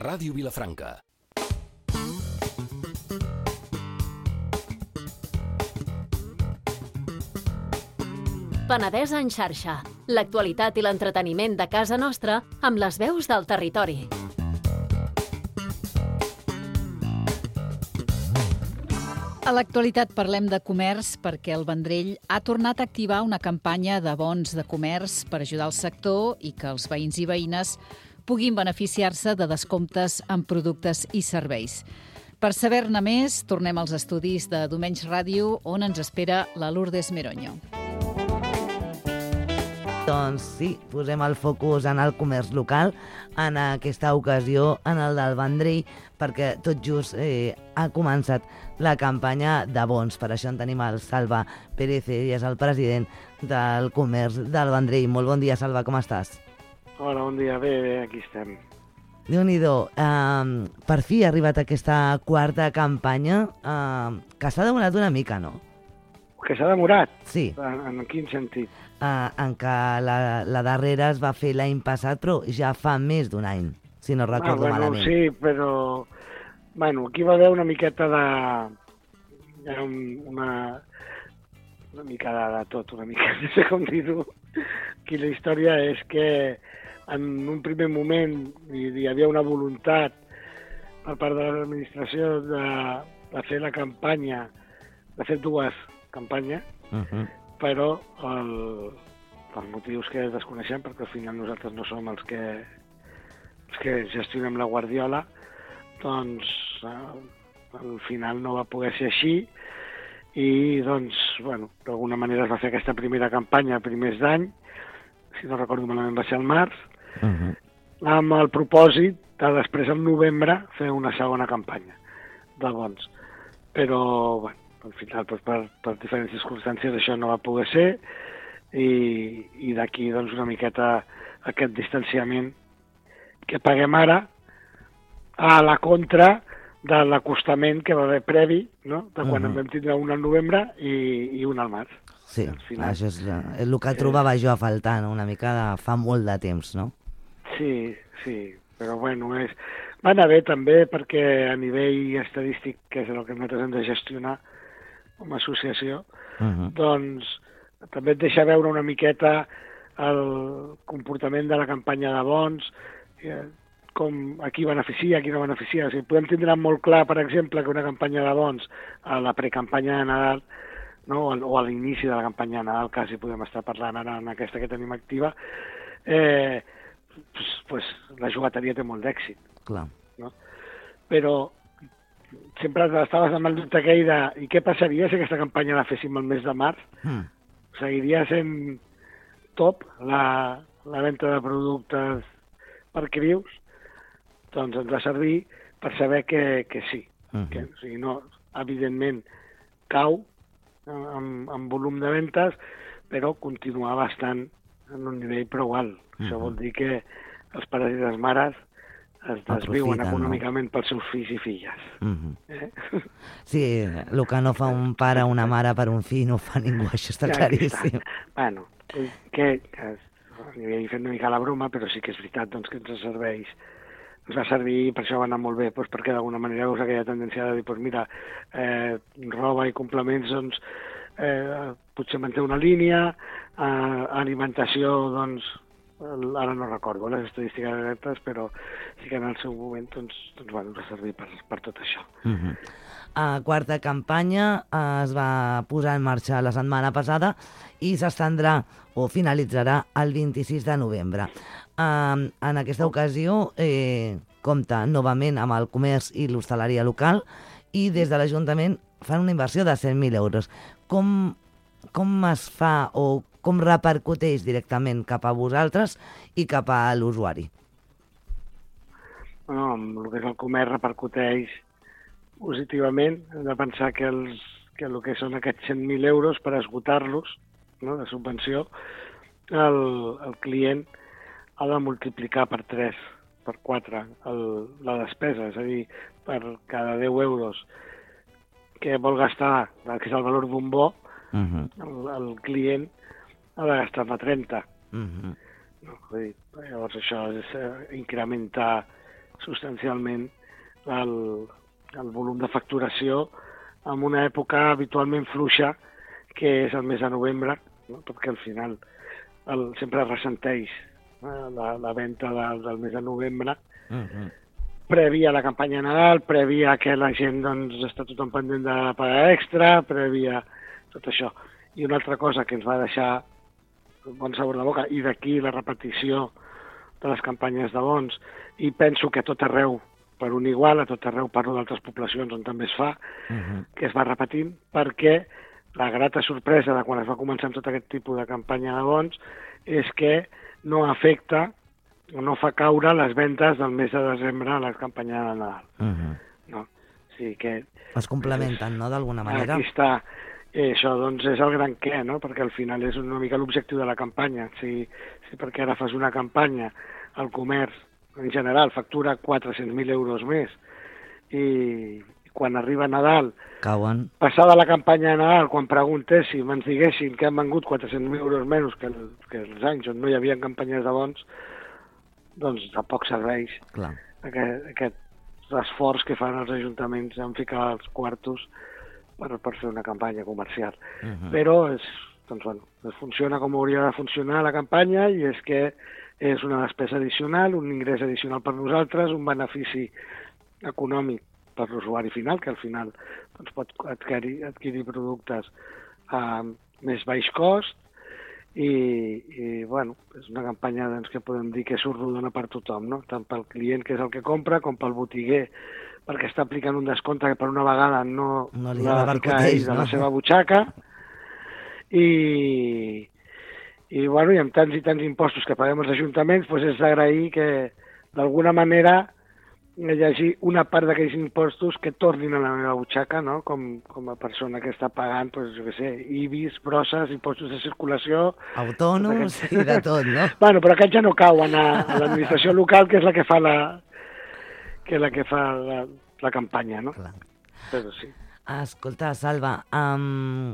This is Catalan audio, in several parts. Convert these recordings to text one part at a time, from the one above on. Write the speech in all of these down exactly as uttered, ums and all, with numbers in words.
Ràdio Vilafranca. Penedès en xarxa. L'actualitat i l'entreteniment de casa nostra amb les veus del territori. A l'actualitat parlem de comerç perquè el Vendrell ha tornat a activar una campanya de bons de comerç per ajudar el sector i que els veïns i veïnes puguin beneficiar-se de descomptes en productes i serveis. Per saber-ne més, tornem als estudis de Domenys Ràdio, on ens espera la Lourdes Meroño. Doncs sí, posem el focus en el comerç local, en aquesta ocasió en el del Vendrell, perquè tot just eh, ha començat la campanya de bons. Per això en tenim el Salva Pérez, ell és el president del comerç del Vendrell. Molt bon dia, Salva, com estàs? Hola, bon dia, bé, bé, aquí estem. Déu-n'hi-do, eh, per fi ha arribat aquesta quarta campanya, eh, que s'ha demorat una mica, no? Que s'ha demorat? Sí. En, en quin sentit? Uh, en què la, la darrera es va fer l'any passat, però ja fa més d'un any, si no recordo ah, bueno, malament. Sí, però bueno, aquí va haver una miqueta de... Un, una, una mica de, de tot, una mica, no sé com dir-ho. Aquí la història és que en un primer moment hi, hi havia una voluntat per part de l'administració de, de fer la campanya, de fer dues campanyes, uh-huh. però el, per motius que desconeixem, perquè al final nosaltres no som els que, els que gestionem la Guardiola, doncs al final no va poder ser així i doncs, bueno, d'alguna manera es va fer aquesta primera campanya a primers d'any, si no recordo malament va ser al març, uh-huh. amb el propòsit de després al novembre fer una segona campanya de bons. Però, bueno, al final, doncs, per, per diferents circumstàncies, això no va poder ser i, i d'aquí doncs, una miqueta aquest distanciament que paguem ara a la contra de l'acostament que va haver previ, no? De quan uh-huh. en vam tindre un al novembre i, i un al març. Sí, final, això és el que trobava jo a faltar, no? Una mica de fa molt de temps, no? Sí, sí, però bueno, és... va anar bé també perquè a nivell estadístic, que és el que nosaltres hem de gestionar, com a associació, uh-huh. doncs també et deixa veure una miqueta el comportament de la campanya de bons, eh, com a qui beneficia, a qui no beneficia. O sigui, podem tindre molt clar, per exemple, que una campanya de bons a la precampanya de Nadal, no? o a l'inici de la campanya de Nadal, quasi podem estar parlant ara en aquesta que tenim activa, eh, pues, pues, la jugateria té molt d'èxit. Clar. No? Però sempre estaves amb el dubte aquell de i què passaria si aquesta campanya la féssim el mes de març? Mm. Seguiria sent top la, la venda de productes per crius? Doncs ens va servir per saber que, que sí. Mm-hmm. Que, o sigui, no, evidentment cau en, en volum de ventes, però continua bastant en un nivell prou alt. Mm-hmm. Això vol dir que els pares i les mares es desviuen econòmicament no? pels seus fills i filles. Mm-hmm. eh? Sí, el que no fa un pare o una mare per un fill no fa ningú, això està ja, claríssim. Està. Bueno, que, que a nivell fent una mica la broma, però sí que és veritat doncs, que ens serveix. Ens va servir, per això va anar molt bé, doncs, perquè d'alguna manera veus aquella tendència de dir, doncs mira, eh, roba i complements, doncs, eh, potser manté una línia, eh, alimentació, doncs, ara no recordo les estadístiques exactes, però sí que en el seu moment doncs, doncs, bueno, ens va servir per, per tot això. Uh-huh. A quarta campanya eh, es va posar en marxa la setmana passada i s'estendrà o finalitzarà el vint-i-sis de novembre. Eh, en aquesta ocasió eh, compta novament amb el comerç i l'hostaleria local i des de l'Ajuntament fan una inversió de cent mil euros. Com, com es fa o com repercuteix directament cap a vosaltres i cap a l'usuari? Bueno, amb el que és el comerç repercuteix positivament. Hem de pensar que, els, que el que són aquests cent mil euros per esgotar-los, no, de subvenció, el, el client ha de multiplicar per tres, per quatre el, la despesa. És a dir, per cada deu euros que vol gastar, que és el valor d'un bo, uh-huh. el, el client ha de gastar-ne trenta. Uh-huh. No, vull dir, llavors això és eh, incrementar substancialment el, el volum de facturació en una època habitualment fluixa, que és el mes de novembre, no? Perquè al final el, sempre ressenteix eh, la, la venda de, del mes de novembre, uh-huh. prèvia a la campanya de Nadal, prèvia que la gent doncs, està tothom pendent de la paga extra, prèvia tot això. I una altra cosa que ens va deixar bon sabor de boca, i d'aquí la repetició de les campanyes de bons, i penso que a tot arreu, per un igual, a tot arreu parlo d'altres poblacions on també es fa, uh-huh. que es va repetint, perquè la grata sorpresa de quan es va començar amb tot aquest tipus de campanya de bons és que no afecta o no fa caure les vendes del mes de desembre a la campanya de Nadal. Uh-huh. No? O sigui que... Es complementen, és, no?, d'alguna manera. Aquí està. I això doncs, és el gran què, no? Perquè al final és una mica l'objectiu de la campanya. Si, si perquè ara fas una campanya, el comerç en general factura quatre-cents mil euros més i quan arriba Nadal, cauen. Passada la campanya de Nadal, quan preguntéssim, ens diguessin que han vengut quatre-cents mil euros menys que, el, que els anys on no hi havia campanyes de bons, doncs tampoc serveix Clar. aquest, aquest esforç que fan els ajuntaments en ficar els quartos per, per fer una campanya comercial. Uh-huh. Però és, doncs, bueno, funciona com hauria de funcionar la campanya, i és que és una despesa addicional, un ingrés addicional per nosaltres, un benefici econòmic per l'usuari final, que al final doncs, pot adquirir, adquirir productes a més baix cost, i, i bueno, és una campanya doncs, que podem dir que surt rodona per tothom, no? Tant pel client, que és el que compra, com pel botiguer, perquè està aplicant un descompte que per una vegada no, no li l'ha d'aplicar ell de la seva butxaca, i, i, bueno, i amb tants i tants impostos que paguem els ajuntaments, doncs és d'agrair que d'alguna manera hi hagi una part d'aquells impostos que tornin a la meva butxaca, no? Com, com a persona que està pagant, doncs, jo què sé, I B I S, brosses, impostos de circulació... Autònoms i de tot, no? Bueno, però aquests ja no cauen a, a l'administració local, que és la que fa la, que és la, que fa la, la campanya, no? Clar. Però sí. Escolta, Salva, um,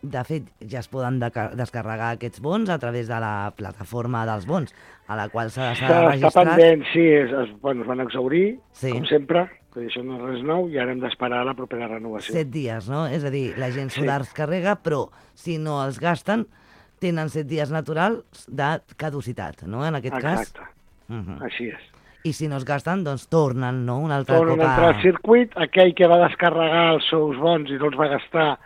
de fet, ja es poden de- descarregar aquests bons a través de la plataforma dels bons, a la qual s'ha de Està, registrar. està pendent, sí, es, es, bueno, es van exhaurir, Sí. com sempre, que això no és res nou, i ara hem d'esperar la propera renovació. Set dies, no? És a dir, la gent s'ho Sí. descarrega, però si no els gasten, tenen set dies naturals de caducitat, no? En aquest Exacte, cas. Uh-huh. així és. I si no es gasten, doncs tornen, no? Un altre Tornen cop a entrar al circuit, aquell que va descarregar els seus bons i no els va gastar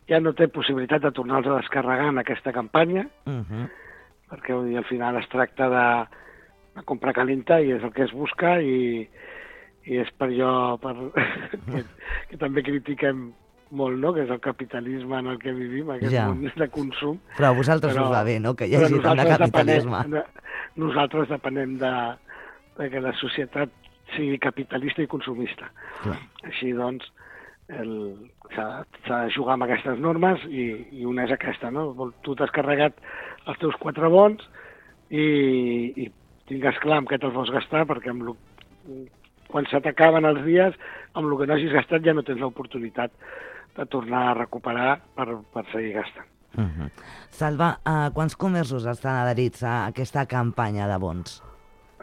ja no té possibilitat de tornar-los a descarregar en aquesta campanya, Uh-huh. perquè vull dir, al final es tracta de, de comprar calenta i és el que es busca, i, i és per allò per, que, que també critiquem molt, no? Que és el capitalisme en el que vivim, aquest Ja. món de consum. Però a vosaltres Però- us va bé, no?, que hi Però hagi tant de nosaltres capitalisme. depenem, de, nosaltres depenem de, de que la societat sigui capitalista i consumista. Clar. Així doncs, el, s'ha, s'ha de jugar amb aquestes normes, i, i una és aquesta, no? Vol- Tu t'has carregat els teus quatre bons i, i tingues clar amb què te'ls vols gastar, perquè amb lo, quan se t'acaben els dies, amb el que no hagis gastat ja no tens l'oportunitat de tornar a recuperar per, per seguir gastant. Uh-huh. Salva, uh, quants comerços estan adherits a aquesta campanya de bons?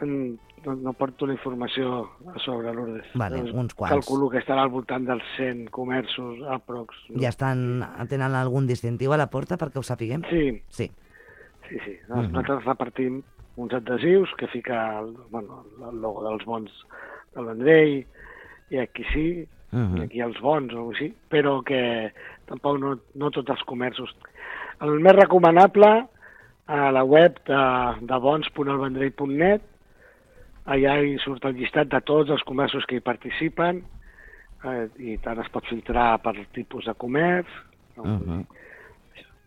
En, no, no porto la informació a sobre, Lourdes. Vale, Doncs uns quants. Calculo que estarà al voltant dels cent comerços aprox. No? Ja estan, tenen algun distintiu a la porta perquè ho sapiguem? Sí, Sí. sí, sí. Mhm. Nosaltres repartim uns adhesius que fica el, bueno, el logo dels bons del Vendrell, i aquí sí, Mhm. i aquí els bons o així, però que tampoc no, no tots els comerços. El més recomanable, a la web de, de bons punt el vendrell punt net, allà hi surt el llistat de tots els comerços que hi participen, eh, i tant es pot filtrar per tipus de comerç, no? Mhm.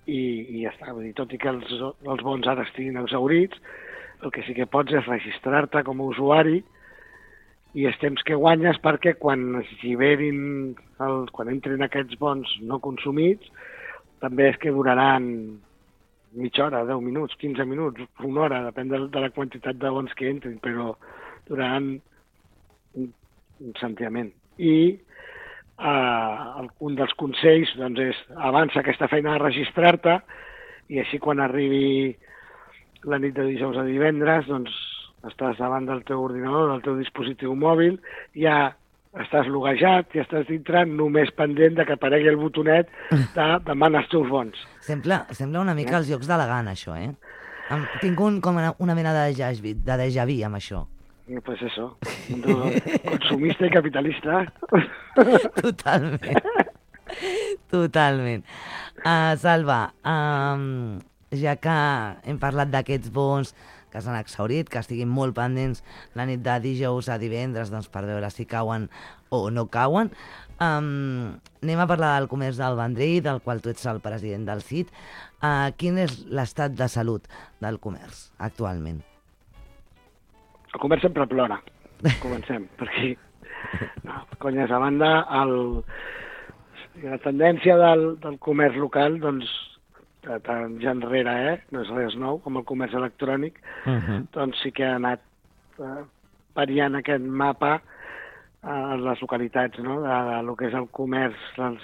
I, i ja està. Vull dir, tot i que els, els bons ara estiguin exhaurits, el que sí que pots és registrar-te com a usuari, i els temps que guanyes perquè quan es lliberin, el, quan entrin aquests bons no consumits, també és que duraran mitja hora, deu minuts, quinze minuts, una hora, depèn de, de la quantitat de bons que entrin, però duraran un, un sentiment. I eh, un dels consells doncs, és avança aquesta feina de registrar-te, i així quan arribi la nit de dijous a divendres, doncs estàs davant del teu ordinador, del teu dispositiu mòbil, ja estàs loguejat, ja estàs dintre, només pendent de que aparegui el botonet de demana els teus bons. Sembla, sembla una mica els jocs de la gana, això, eh? Em, tinc un, com una, una mena de déjà vu, de déjà vu amb això. Pues eso, consumista i capitalista. Totalment. Totalment. Uh, Salva, um, ja que hem parlat d'aquests bons que s'han exhaurit, que estiguin molt pendents la nit de dijous a divendres, doncs, per veure si cauen o no cauen. Um, anem a parlar del comerç del Vendrell, del qual tu ets el president del C I T. Uh, quin és l'estat de salut del comerç actualment? El comerç sempre plora. Comencem per aquí. No, conyes a banda, el, la tendència del, del comerç local, doncs, de temps enrere, eh? No és res nou, com el comerç electrònic, uh -huh. doncs sí que ha anat eh, variant aquest mapa a les localitats, no?, de, de, de lo que és el comerç, les,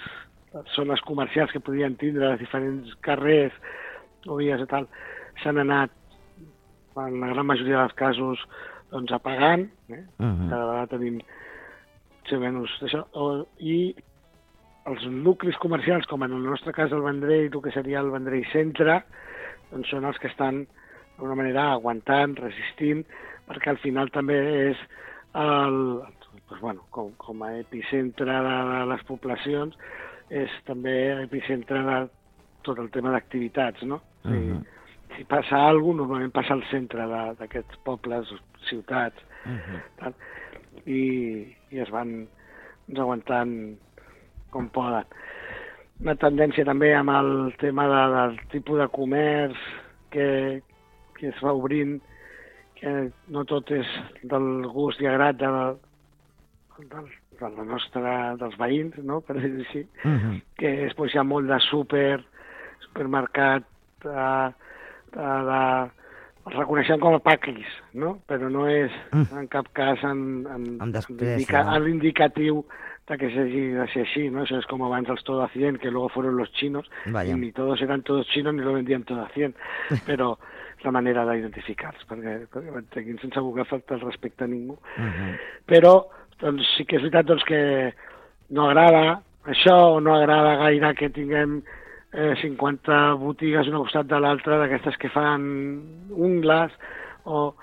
les zones comercials que podien tindre, els diferents carrers o vies i tal, s'han anat, en la gran majoria dels casos, doncs apagant, eh? Uh -huh. Cada vegada tenim menys d'això, i els nuclis comercials, com en el nostre cas el Vendrell, el que seria el Vendrell Centre, doncs són els que estan d'alguna manera aguantant, resistint, perquè al final també és el, doncs, bueno, com, com a epicentre de, de les poblacions, és també epicentre de tot el tema d'activitats, no? Uh -huh. Si, si passa alguna cosa, normalment passa al centre d'aquests pobles, ciutats, uh -huh. tal, i, i es van doncs, aguantant com poden. Una tendència també amb el tema de, del tipus de comerç que, que es va obrint, que no tot és del gust i agrat de, de, de la nostra, dels veïns, no?, per dir-ho així, uh-huh. que és, doncs, hi ha molt de súper, supermercat, de, de, de, els reconeixem com a paquis, no?, però no és en cap cas en, en, en, indica, no? en l'indicatiu de que s'hagi de ser així, ¿no? Eso es como abans els todo a cien, que luego fueron los chinos, Vaya. y ni todos eran todos chinos ni lo vendían todo a cien, però la manera d'identificar-los, perquè, perquè manteguin sense voler faltar el respecte a ningú. Uh -huh. Però doncs, sí que és veritat doncs, que no agrada això, o no agrada gaire que tinguem eh, cinquanta botigues una costat de l'altra, d'aquestes que fan ungles, o...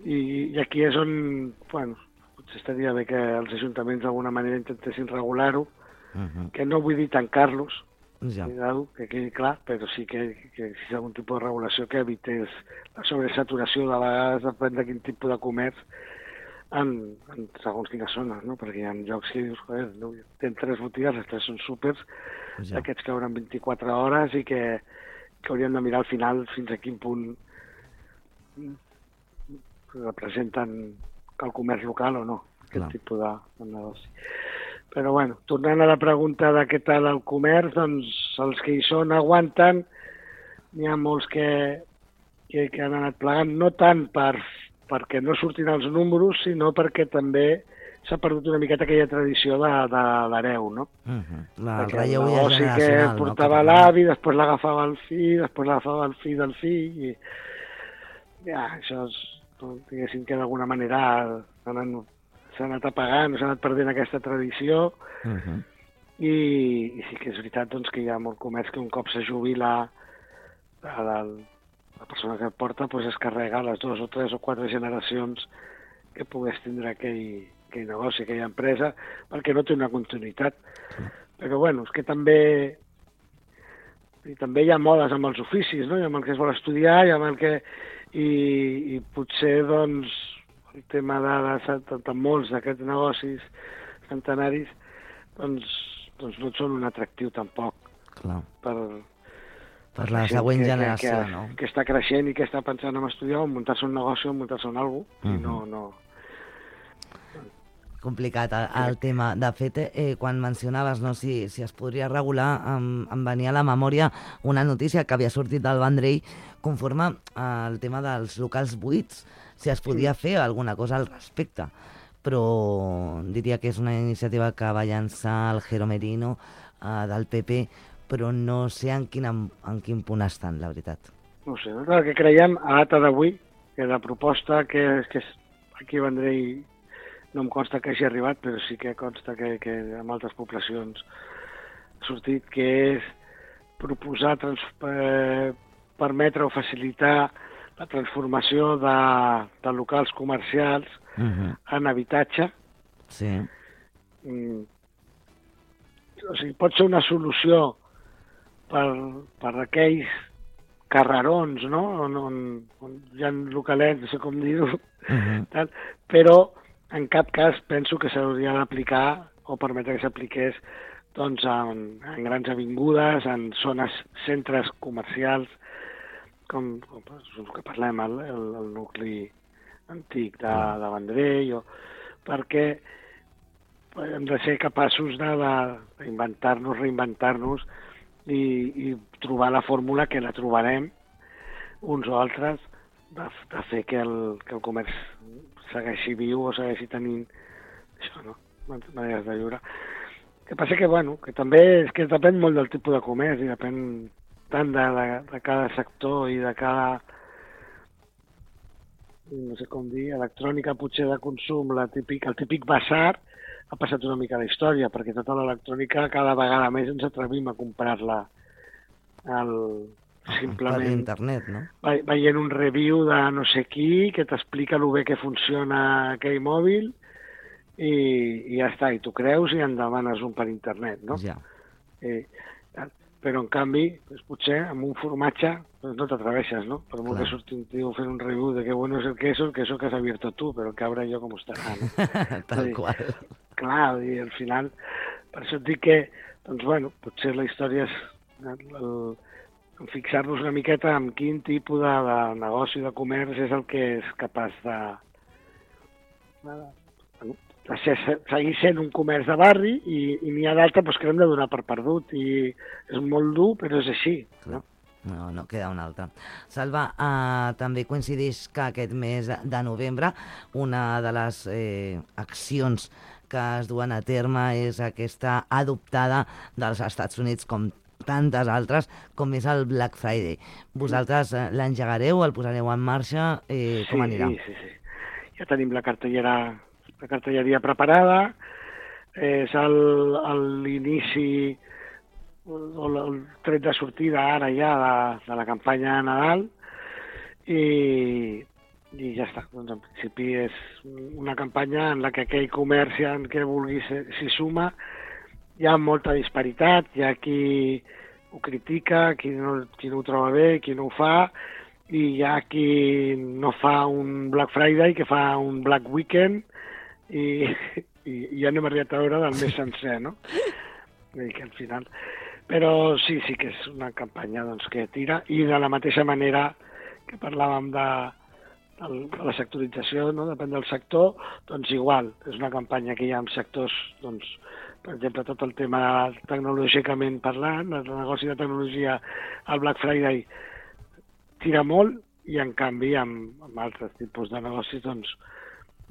I, i aquí és on, bueno, potser estaria bé que els ajuntaments d'alguna manera intentessin regular-ho, uh -huh. que no vull dir tancar-los, ja. que quedi clar, però sí que, que si hi ha algun tipus de regulació que evités la sobresaturació, de vegades depèn de quin tipus de comerç, en, en segons quines zones, no? Perquè hi ha llocs que dius, joder, no, tenen tres botigues, les tres són súpers, ja. Aquests que obren vint-i-quatre hores i que, que haurien de mirar al final fins a quin punt representen el comerç local o no, aquest Clar. tipus de, de negoci. Però, bueno, tornant a la pregunta de què tal el comerç, doncs els que hi són aguanten, n'hi ha molts que, que, que han anat plegant, no tant per, perquè no surtin els números, sinó perquè també s'ha perdut una miqueta aquella tradició de, de l'hereu, no? Uh-huh. La, el relleu generacional, que portava no? l'avi, després l'agafava el fill, després l'agafava el fill del fill, i ja, això és, diguéssim que d'alguna manera s'ha anat apagant, s'ha anat perdent aquesta tradició, uh-huh. i, i sí que és veritat doncs, que hi ha molt comerç que un cop se jubila la, la, la persona que porta doncs, es carrega les dues o tres o quatre generacions que pogués tindre aquell, aquell negoci, aquella empresa, perquè no té una continuïtat. Uh-huh. Però bueno, és que també i també hi ha modes amb els oficis, no? Hi ha amb el que es vol estudiar, hi ha amb el que... I, i potser, doncs, el tema de, de, de, de molts d'aquests negocis centenaris, doncs, doncs no són un atractiu tampoc. Clar. Per, per la següent que, generació, que, que, no? Que està creixent i que està pensant en estudiar, o muntar-se un negoci o muntar-se en alguna cosa, uh-huh. i no... no complicat el, el tema. De fet, eh, quan mencionaves no, si, si es podria regular, em, em venia a la memòria una notícia que havia sortit del Vendrell conforme al tema dels locals buits, si es podia sí. fer alguna cosa al respecte. Però diria que és una iniciativa que va llançar el Jero Merino eh, del P P, però no sé en quin, en, en quin punt estan, la veritat. No sé, el que creiem a data d'avui que la proposta que, que aquí a Vendrell no em consta que hagi arribat, però sí que consta que, que en altres poblacions ha sortit, que és proposar, trans, eh, permetre o facilitar la transformació de, de locals comercials uh-huh. en habitatge. Sí. Mm. O sigui, pot ser una solució per, per aquells carrerons, no? On, on, on hi ha localets, no sé com dir-ho, uh-huh. però en cap cas penso que s'hauria d'aplicar o permetre que s'apliqués doncs, en, en grans avingudes, en zones, centres comercials, com, com el que parlem, el, el, el nucli antic de, de Vendrell, o, perquè hem de ser capaços d'inventar-nos, reinventar-nos i, i trobar la fórmula que la trobarem uns o altres de, de fer que el, que el comerç segueixi viu o segueixi tenint això, no? Maneres de viure. El que passa que, bueno, que també és que depèn molt del tipus de comerç i depèn tant de, de, de cada sector i de cada, no sé com dir, electrònica potser de consum, la típic, el típic basar, ha passat una mica la història, perquè tota l'electrònica cada vegada més ens atrevim a comprar-la el, simplement per internet, no? Veient un review de no sé qui que t'explica el bé que funciona aquell mòbil i, i ja està, i tu creus i en demanes un per internet, no? Ja. Eh, però en canvi, doncs, potser amb un formatge doncs no t'atreveixes, no? Per molt que surti un tio fent un review de que bueno és el queso, el queso que has abierto tu, però el cabra jo com estarà, no? Tal qual. Clar, i al final, per això et dic que, doncs bueno, potser la història és el, el fixar-nos una miqueta en quin tipus de, de negoci, de comerç és el que és capaç de, de, de ser, seguir sent un comerç de barri i, i n'hi ha d'altre doncs, que hem de donar per perdut i és molt dur però és així, no? No, no queda un altre. Salva, eh, també coincideix que aquest mes de novembre una de les eh, accions que es duen a terme és aquesta adoptada dels Estats Units com tantes altres, com és el Black Friday. Vosaltres eh, l'engegareu, el posareu en marxa, eh, com anirà? Sí, sí, sí. Ja tenim la cartellera, la cartelleria preparada, és l'inici o el tret de sortida ara ja de, de la campanya de Nadal i, i ja està. Doncs en principi és una campanya en la que aquell comerciant que vulgui s'hi suma. Hi ha molta disparitat, hi ha qui ho critica, qui no, qui no ho troba bé, qui no ho fa, i hi ha qui no fa un Black Friday, que fa un Black Weekend, i, i, i ja anem arribat a veure del mes sencer, no? Vull dir que al final... Però sí, sí que és una campanya doncs, que tira, i de la mateixa manera que parlàvem de, de, de la sectorització, no? Depèn del sector, doncs igual, és una campanya que hi ha en sectors, doncs, per exemple, tot el tema tecnològicament parlant, el negoci de tecnologia, el Black Friday tira molt, i en canvi amb, amb altres tipus de negocis doncs,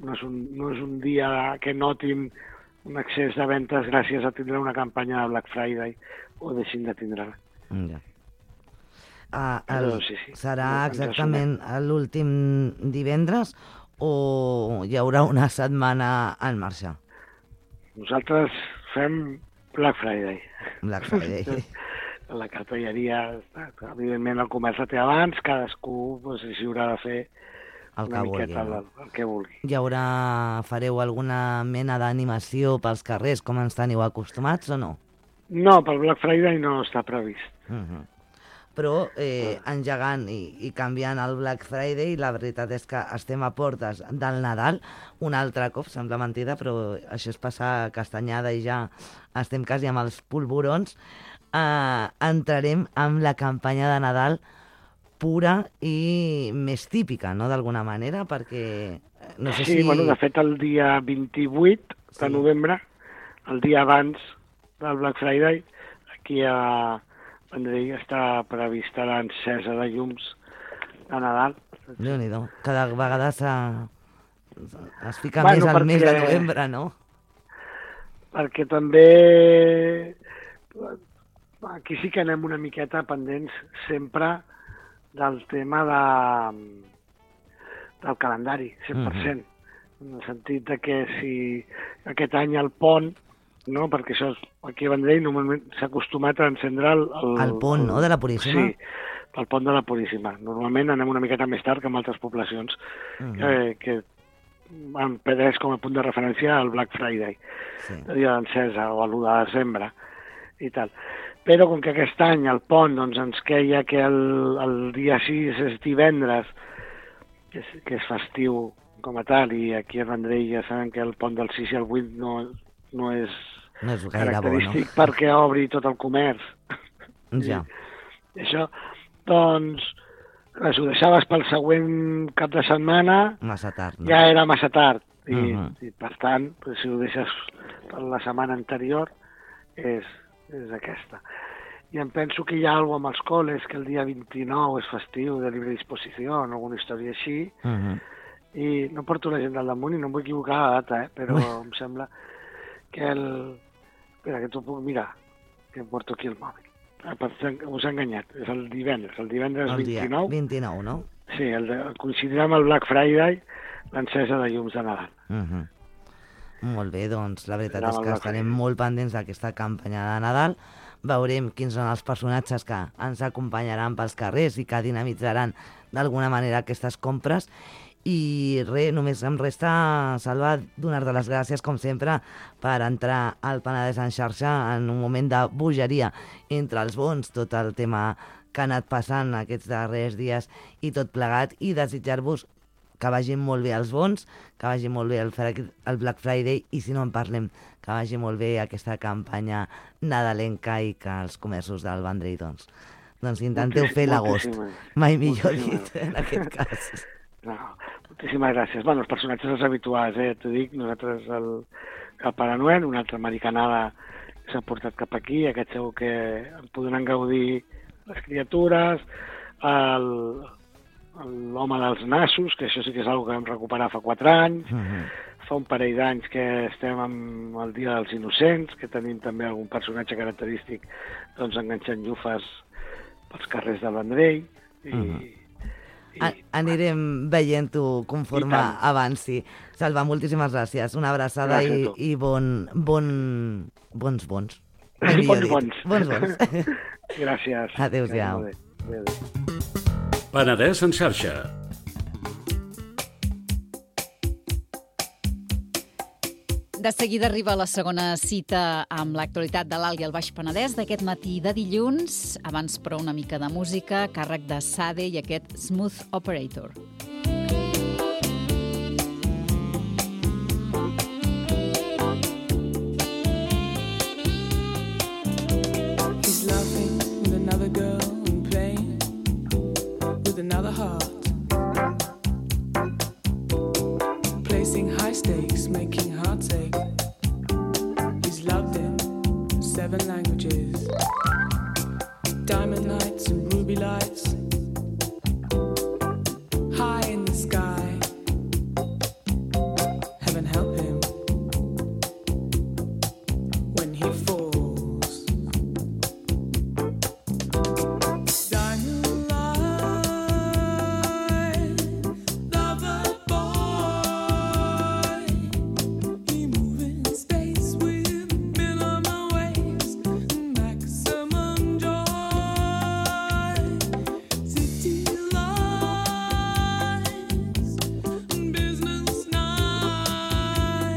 no, és un, no és un dia que notin un excés de ventes gràcies a tindre una campanya de Black Friday o deixin de tindre-la. Ja. Uh, el, sí, sí. Serà exactament l'últim divendres o hi haurà una setmana en marxa? Nosaltres fem Black Friday. Black Friday. La cartelleria, evidentment el comerç la té abans, cadascú doncs, s'hi haurà de fer el una que miqueta vulgui, el, el que vulgui. Hi haurà, fareu alguna mena d'animació pels carrers com ens teniu acostumats o no? No, pel Black Friday no està previst. Uh -huh. Però eh, engegant i, i canviant el Black Friday, la veritat és que estem a portes del Nadal, un altre cop, sembla mentida, però això és passar castanyada i ja estem quasi amb els polvorons, eh, entrarem amb la campanya de Nadal pura i més típica, no?, d'alguna manera, perquè no sé sí, si... bueno, de fet el dia vint-i-vuit sí. de novembre, el dia abans del Black Friday, aquí a Vendrell està prevista l'encesa de llums de Nadal. Déu-n'hi-do, cada vegada es fica bueno, més al perquè... mes de novembre, no? Perquè també aquí sí que anem una miqueta pendents sempre del tema de, del calendari, cent per cent. Mm-hmm. En el sentit de que si aquest any el pont, no? Perquè això és, aquí a Vendrell normalment s'ha acostumat a encendre el... El, el pont, el, no?, de la Puríssima? Sí, el pont de la Puríssima. Normalment anem una miqueta més tard que en altres poblacions mm-hmm. que, que han pres com a punt de referència al Black Friday, sí. el dia d'encesa o l'u de desembre i tal. Però com que aquest any el pont doncs, ens queia que el, el dia sis és divendres, que és, que és festiu com a tal, i aquí a Vendrell ja saben que el pont del sis i el vuit no, no és, no és característic bo, no? perquè obri tot el comerç. Ja. I això, doncs, si ho deixaves pel següent cap de setmana, massa tard, no? Ja era massa tard. I, uh-huh. i per tant, si ho deixes per la setmana anterior, és, és aquesta. I em penso que hi ha alguna cosa amb els col·les, que el dia vint-i-nou és festiu de llibre disposició, o alguna història així, uh-huh. i no porto l'agenda al damunt i no em vull equivocar la data, eh? Però em sembla que el... Espera, que t'ho puc mirar, que em porto aquí el mòbil. Us ha enganyat, és el divendres, el divendres el vint-i-nou. vint-i-nou, no? Sí, el de, coincidirà amb el Black Friday, l'encesa de llums de Nadal. Uh-huh. Molt bé, doncs la veritat és que estarem molt pendents d'aquesta campanya de Nadal. Veurem quins són els personatges que ens acompanyaran pels carrers i que dinamitzaran d'alguna manera aquestes compres. I res, només em resta, Salva, donar-te les gràcies, com sempre, per entrar al Penedès en xarxa en un moment de bogeria entre els bons, tot el tema que ha anat passant aquests darrers dies i tot plegat, i desitjar-vos que vagin molt bé els bons, que vagi molt bé el, el Black Friday, i si no en parlem, que vagi molt bé aquesta campanya nadalenca i que els comerços del Vendrell, doncs, doncs intenteu fer l'agost. Mai millor dit, en aquest cas. No, moltíssimes gràcies. Bueno, els personatges els habituals, eh? T'ho dic, nosaltres el, el Pare Noel, una altra americanada que s'ha portat cap aquí, aquest segur que en podran gaudir les criatures, el, l'home dels nassos, que això sí que és una cosa que vam recuperar fa quatre anys, uh-huh. fa un parell d'anys que estem amb el Dia dels Innocents, que tenim també algun personatge característic doncs enganxant llufes pels carrers del Vendrell, i... Uh-huh. I, anirem veient-ho conforme avanci. Salva, moltíssimes gràcies. Una abraçada i, i bon, bon, bons bons. Bons bons. Bons bons. Gràcies. Adéu-siau. Penedès en xarxa. De seguida arriba la segona cita amb l'actualitat de l'Alt i el Baix Penedès d'aquest matí de dilluns. Abans, però, una mica de música, càrrec de Sade i aquest Smooth Operator. He's laughing with another girl and playing with another heart. Placing high stakes, making hearts ache. He's loved in seven languages. Diamond nights and ruby lights. High in the sky. Heaven help him when he falls. Diamond light, lover boy. He move in space with minimal waves, maximum joy. City lights, business nights.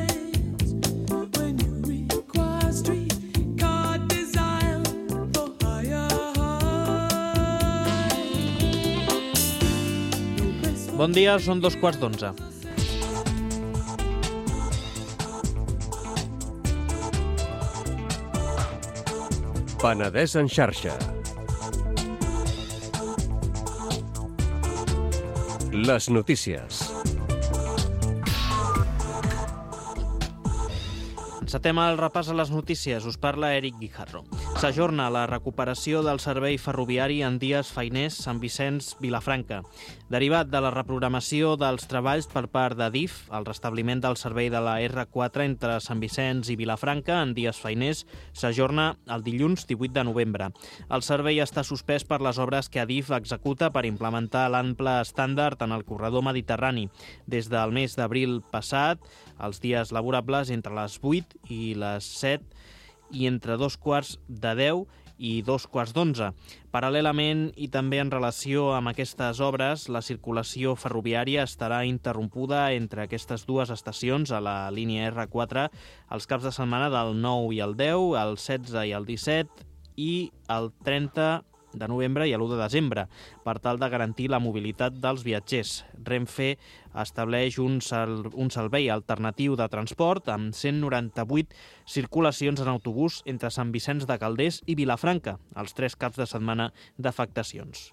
When you require streetcar desire for higher heights. Bon dia, són dos quarts d'onze. Penedès en xarxa. Les notícies. Encetem el repàs a les notícies. Us parla Eric Guijarro. S'ajorna la recuperació del servei ferroviari en dies feiners Sant Vicenç-Vilafranca. Derivat de la reprogramació dels treballs per part d'Adif, el restabliment del servei de la erre quatre entre Sant Vicenç i Vilafranca en dies feiners s'ajorna el dilluns divuit de novembre. El servei està suspès per les obres que Adif executa per implementar l'ample estàndard en el corredor mediterrani. Des del mes d'abril passat, els dies laborables entre les vuit i les set i entre dos quarts de deu i dos quarts d'onze. Paral·lelament i també en relació amb aquestes obres, la circulació ferroviària estarà interrompuda entre aquestes dues estacions a la línia erre quatre els caps de setmana del nou i el deu, el setze i el disset i el trenta de novembre i l'u de desembre, per tal de garantir la mobilitat dels viatgers. Renfe estableix un, sal, un servei alternatiu de transport amb cent noranta-vuit circulacions en autobús entre Sant Vicenç de Calders i Vilafranca, els tres caps de setmana d'afectacions.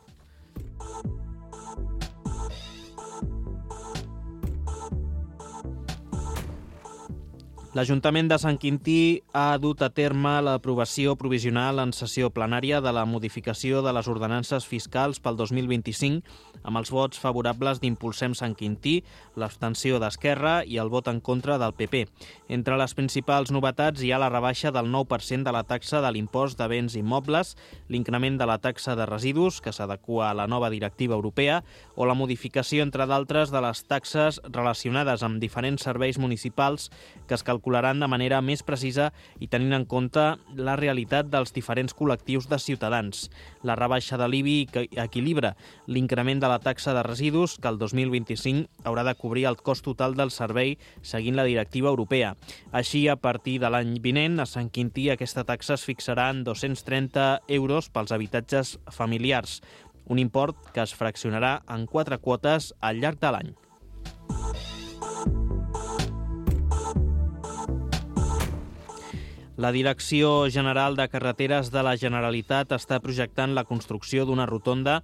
L'Ajuntament de Sant Quintí ha dut a terme l'aprovació provisional en sessió plenària de la modificació de les ordenances fiscals pel dos mil vint-i-cinc amb els vots favorables d'Impulsem Sant Quintí, l'abstenció d'Esquerra i el vot en contra del pe pe. Entre les principals novetats hi ha la rebaixa del nou per cent de la taxa de l'impost de béns immobles, l'increment de la taxa de residus, que s'adequa a la nova directiva europea, o la modificació, entre d'altres, de les taxes relacionades amb diferents serveis municipals que es calcularan de manera més precisa i tenint en compte la realitat dels diferents col·lectius de ciutadans. La rebaixa de l'I B I equilibra l'increment de la taxa de residus, que el dos mil vint-i-cinc haurà de cobrir el cost total del servei seguint la directiva europea. Així, a partir de l'any vinent, a Sant Quintí aquesta taxa es fixarà en dos-cents trenta euros pels habitatges familiars, un import que es fraccionarà en quatre quotes al llarg de l'any. La Direcció General de Carreteres de la Generalitat està projectant la construcció d'una rotonda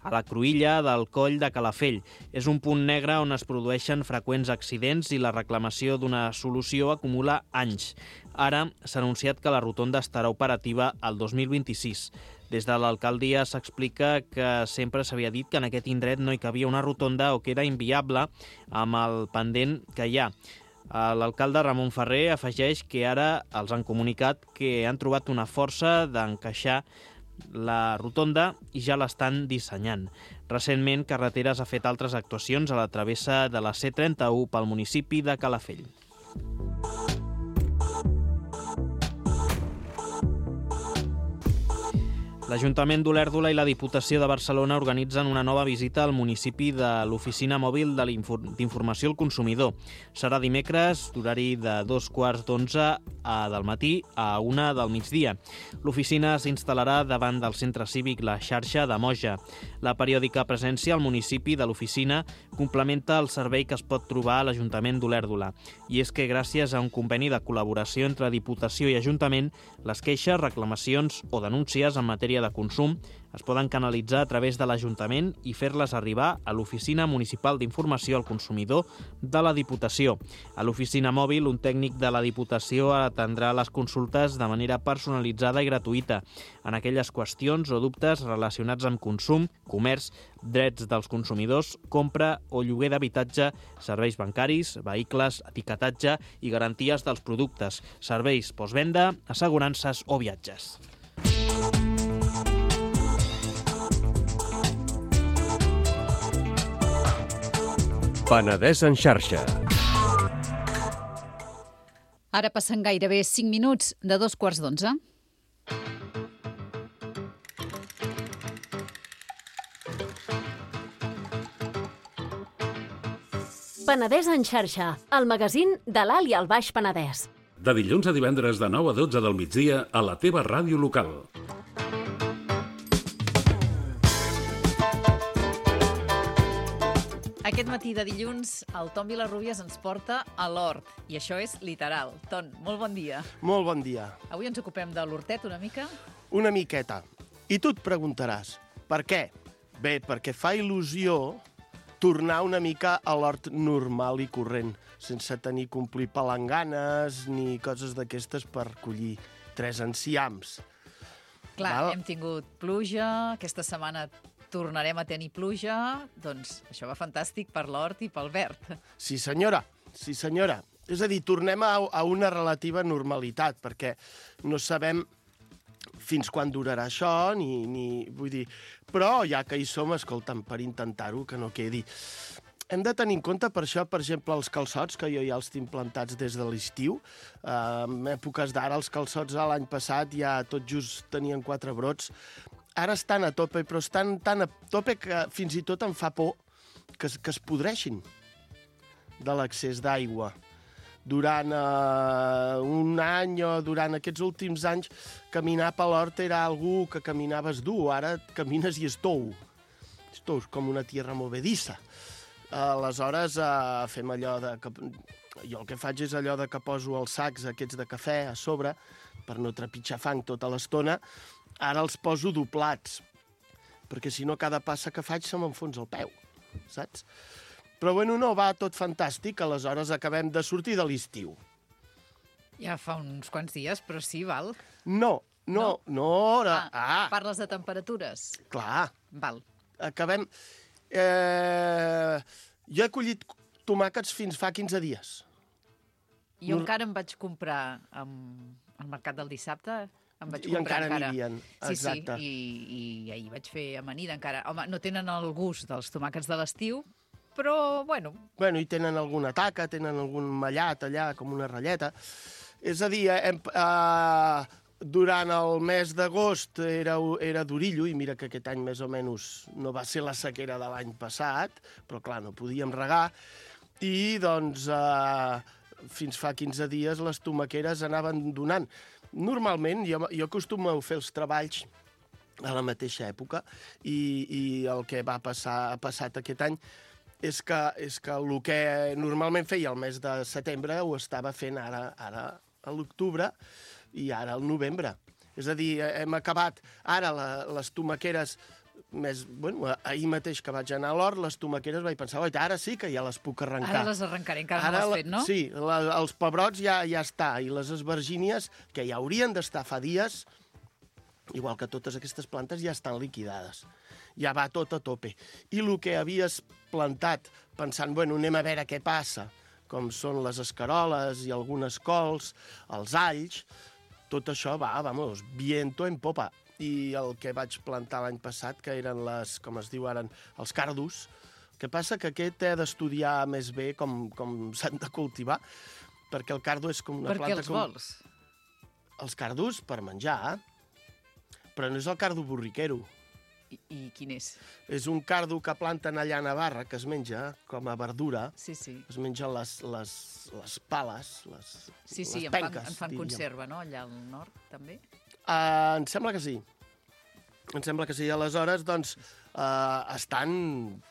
a la cruïlla del Coll de Calafell. És un punt negre on es produeixen freqüents accidents i la reclamació d'una solució acumula anys. Ara s'ha anunciat que la rotonda estarà operativa el dos mil vint-i-sis. Des de l'alcaldia s'explica que sempre s'havia dit que en aquest indret no hi cabia una rotonda o que era inviable amb el pendent que hi ha. L'alcalde Ramon Ferrer afegeix que ara els han comunicat que han trobat una força d'encaixar la rotonda i ja l'estan dissenyant. Recentment, Carreteres ha fet altres actuacions a la travessa de la ce trenta-u pel municipi de Calafell. L'Ajuntament d'Olèrdola i la Diputació de Barcelona organitzen una nova visita al municipi de l'Oficina Mòbil d'Informació al Consumidor. Serà dimecres, d'horari de dos quarts d'onze del matí a una del migdia. L'oficina s'instal·larà davant del centre cívic La Xarxa de Moja. La periòdica presència al municipi de l'oficina complementa el servei que es pot trobar a l'Ajuntament d'Olèrdola. I és que gràcies a un conveni de col·laboració entre Diputació i Ajuntament, les queixes, reclamacions o denúncies en matèria de consum es poden canalitzar a través de l'Ajuntament i fer-les arribar a l'Oficina Municipal d'Informació al Consumidor de la Diputació. A l'oficina mòbil, un tècnic de la Diputació atendrà les consultes de manera personalitzada i gratuïta en aquelles qüestions o dubtes relacionats amb consum, comerç, drets dels consumidors, compra o lloguer d'habitatge, serveis bancaris, vehicles, etiquetatge i garanties dels productes, serveis postvenda, assegurances o viatges. Penedès en xarxa. Ara passen gairebé cinc minuts de dos quarts d'onze. Penedès en xarxa, el magazín de l'Alt i el Baix Penedès. De dilluns a divendres de nou a dotze del migdia a la teva ràdio local. Aquest matí de dilluns, el Tom Vilarrubias ens porta a l'hort, i això és literal. Ton, molt bon dia. Molt bon dia. Avui ens ocupem de l'hortet una mica? Una miqueta. I tu et preguntaràs, per què? Bé, perquè fa il·lusió tornar una mica a l'hort normal i corrent, sense tenir que omplir palanganes ni coses d'aquestes per collir tres enciams. Clar, Val? hem tingut pluja, aquesta setmana tornarem a tenir pluja, doncs això va fantàstic per l'hort i pel verd. Sí, senyora, sí, senyora. És a dir, tornem a, a una relativa normalitat, perquè no sabem fins quan durarà això, ni, ni... Vull dir... Però ja que hi som, escolta'm, per intentar-ho, que no quedi. Hem de tenir en compte, per això, per exemple, els calçots, que jo ja els tinc plantats des de l'estiu. Uh, en èpoques d'ara, els calçots l'any passat ja tot just tenien quatre brots. Ara estan a tope, però estan tan a tope que fins i tot em fa por que, es- que es podreixin de l'excés d'aigua. Durant uh, un any o durant aquests últims anys, caminar per l'hort era algú que caminaves dur. Ara camines i és tou. És tou, és com una tierra movedissa. Aleshores, uh, fem allò de... Que, jo el que faig és allò de que poso els sacs aquests de cafè a sobre per no trepitjar fang tota l'estona. Ara els poso doblats, perquè si no cada passa que faig se m'enfonsa el peu, saps? Però bueno, no, va tot fantàstic, aleshores acabem de sortir de l'estiu. Ja fa uns quants dies, però sí, val. No, no, no, no ara... Ah, Ah, parles de temperatures. clar, Val. acabem... Eh, jo he collit tomàquets fins fa quinze dies. Jo Nor- encara em vaig comprar amb, al mercat del dissabte, em vaig I comprar encara encara. n'hi havien, Sí, exacte. sí, i, i ahir vaig fer amanida encara. Home, no tenen el gust dels tomàquets de l'estiu, però, bueno, Bueno, i tenen alguna taca, tenen algun mallat allà, com una ratlleta. És a dir, hem, eh, durant el mes d'agost era, era d'orillo, i mira que aquest any més o menys no va ser la sequera de l'any passat, però clar, no podíem regar, i doncs eh, fins fa quinze dies les tomaqueres anaven donant. Normalment, jo, jo acostumo a fer els treballs a la mateixa època, i, i el que va passar, ha passat aquest any és que, és que el que normalment feia el mes de setembre ho estava fent ara, ara a l'octubre i ara al novembre. És a dir, hem acabat ara la, les tomaqueres més... Bueno, ahir mateix que vaig anar a l'hort, les tomaqueres vaig pensar, oi, ara sí que ja les puc arrencar. ara les arrencaré, encara Ara no la- l'has fet, no? Sí, la, els pebrots ja, ja està, i les esvergínies, que ja haurien d'estar fa dies, igual que totes aquestes plantes, ja estan liquidades. Ja va tot a tope. I el que havies plantat, pensant, bueno, anem a veure què passa, com són les escaroles i algunes cols, els alls, tot això va, vamos, viento en popa. I el que vaig plantar l'any passat, que eren les, com es diu ara, els cardos, el que passa que aquest he d'estudiar més bé com, com s'han de cultivar, perquè el cardo és com una Per què planta... els com... vols? Els cardos per menjar, però no és el cardo borriquero. I, I quin és? És un cardo que planten allà a Navarra, que es menja com a verdura. Sí, sí. Es mengen les, les, les pales, les, Sí, sí, les en fan, penques, en fan diríem. conserva, no?, allà al nord, també? Uh, em sembla que sí. Em sembla que sí. Aleshores, doncs, uh, estan...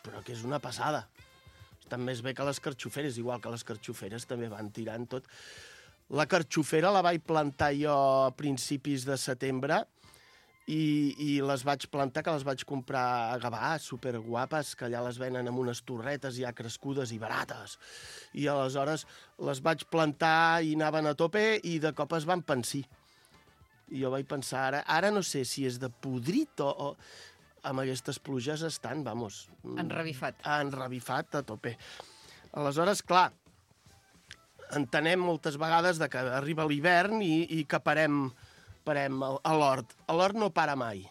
Però que és una passada. Estan més bé que les carxoferes, igual que les carxoferes també van tirant tot. La carxofera la vaig plantar jo a principis de setembre i, i les vaig plantar, que les vaig comprar a Gavà, superguapes, que allà les venen amb unes torretes ja crescudes i barates. I aleshores les vaig plantar i anaven a tope i de cop es van pensir. I jo vaig pensar, ara, ara no sé si és de podrit o, o amb aquestes pluges estan, vamos... Enrevifat. Enrevifat a tope. Aleshores, clar, entenem moltes vegades de que arriba l'hivern i, i que parem, parem a, a l'hort. A l'hort no para mai.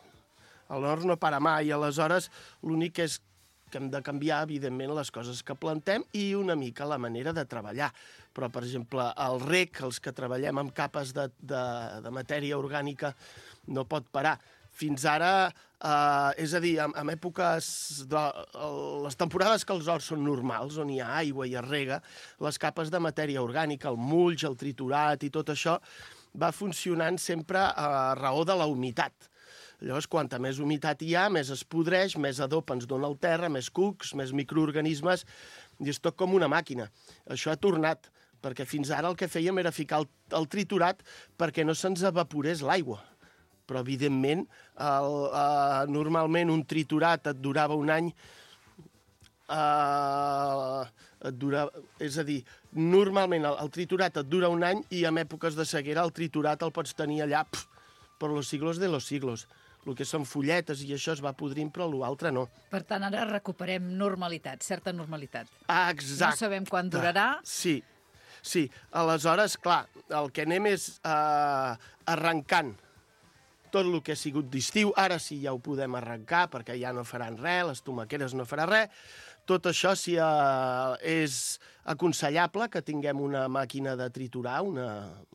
A l'hort no para mai. Aleshores, l'únic és que hem de canviar, evidentment, les coses que plantem i una mica la manera de treballar. Però, per exemple, el rec, els que treballem amb capes de, de, de matèria orgànica, no pot parar. Fins ara, eh, és a dir, en, en èpoques, de, les temporades que els horts són normals, on hi ha aigua i es rega, les capes de matèria orgànica, el mulch, el triturat i tot això, va funcionant sempre a raó de la humitat. Llavors, quanta més humitat hi ha, més es podreix, més adob ens dona el terra, més cucs, més microorganismes, i és tot com una màquina. Això ha tornat, perquè fins ara el que fèiem era ficar el, el triturat perquè no se'ns evaporés l'aigua. Però, evidentment, el, uh, normalment un triturat et durava un any, uh, et durava, és a dir, normalment el, el triturat et dura un any i en èpoques de sequera el triturat el pots tenir allà... Pff, per los siglos de los siglos. El que són fulletes i això es va podrint, però l'altre no. Per tant, ara recuperem normalitat, certa normalitat. Exacte. No sabem quan durarà. Sí, sí. Aleshores, clar, el que anem és eh, arrencant tot el que ha sigut d'estiu. Ara sí ja ho podem arrencar, perquè ja no faran res, les tomaqueres no farà res. Tot això sí, eh, és aconsellable que tinguem una màquina de triturar, una,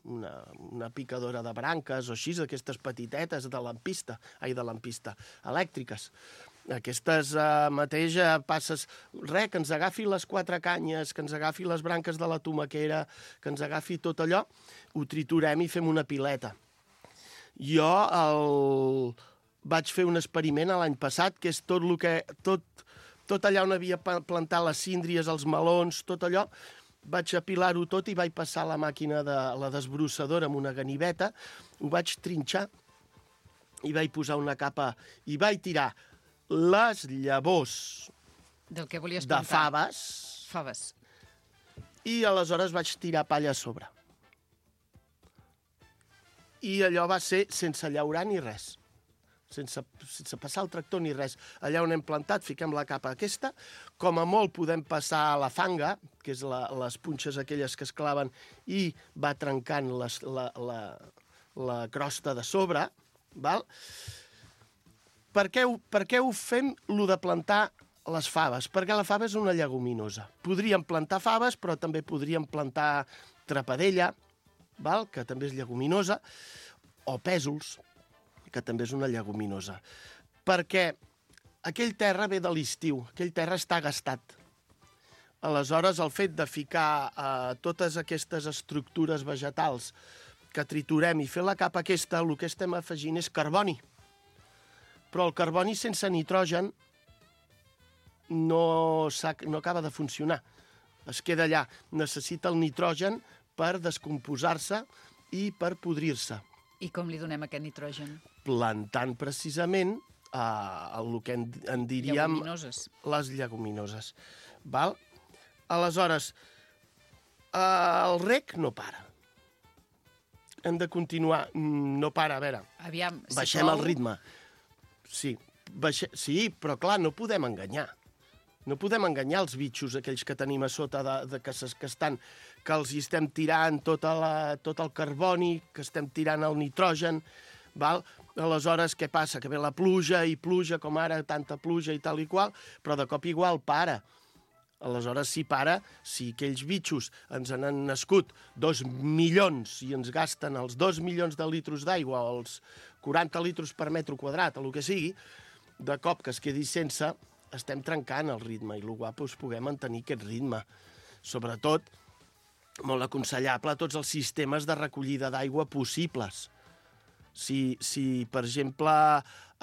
una, una picadora de branques o així, aquestes petitetes de lampista, ai, de lampista, elèctriques. Aquestes eh, mateix eh, passes, res, que ens agafi les quatre canyes, que ens agafi les branques de la tomaquera, que ens agafi tot allò, ho triturem i fem una pileta. Jo el... vaig fer un experiment l'any passat, que és tot el que... Tot, tot allà on havia plantat les síndries, els melons, tot allò, vaig apilar-ho tot i vaig passar la màquina de la desbrossadora amb una ganiveta, ho vaig trinxar i vaig posar una capa i vaig tirar les llavors Del que volies de plantar. faves, Faves. i aleshores vaig tirar palla a sobre. I allò va ser sense llaurar ni res. Sense, sense passar el tractor ni res. Allà on hem plantat, fiquem la capa aquesta. Com a molt podem passar a la fanga, que és la, les punxes aquelles que es claven, i va trencant les, la, la, la crosta de sobre. Val? Per què, ho, per què ho fem, lo de plantar les faves? Perquè la fava és una lleguminosa. Podríem plantar faves, però també podríem plantar trapadella, val? Que també és lleguminosa, o pèsols, que també és una lleguminosa. Perquè aquell terra ve de l'estiu, aquell terra està gastat. Aleshores, el fet de ficar eh, totes aquestes estructures vegetals que triturem i fer la capa aquesta, el que estem afegint és carboni. Però el carboni sense nitrogen no, no acaba de funcionar. Es queda allà. Necessita el nitrogen per descomposar-se i per podrir-se. I com li donem aquest nitrogen? Plantant precisament eh, el que en, en diríem... Lleguminoses. Les lleguminoses. Val? Aleshores, eh, el rec no para. Hem de continuar. No para, a veure. Aviam, si baixem plou... el ritme. Sí, baixe... sí, però clar, no podem enganyar. No podem enganyar els bitxos, aquells que tenim a sota, de, de que, que estan, que els hi estem tirant tota la, tot el carboni, que estem tirant el nitrogen, val? Aleshores, què passa? Que ve la pluja i pluja, com ara, tanta pluja i tal i qual, però de cop igual para. Aleshores, si para, si aquells bitxos ens han nascut dos milions i ens gasten els dos milions de litres d'aigua o els quaranta litres per metre quadrat, o el que sigui, de cop que es quedi sense... estem trencant el ritme i el guapo és poder mantenir aquest ritme. Sobretot, molt aconsellable a tots els sistemes de recollida d'aigua possibles. Si, si per exemple,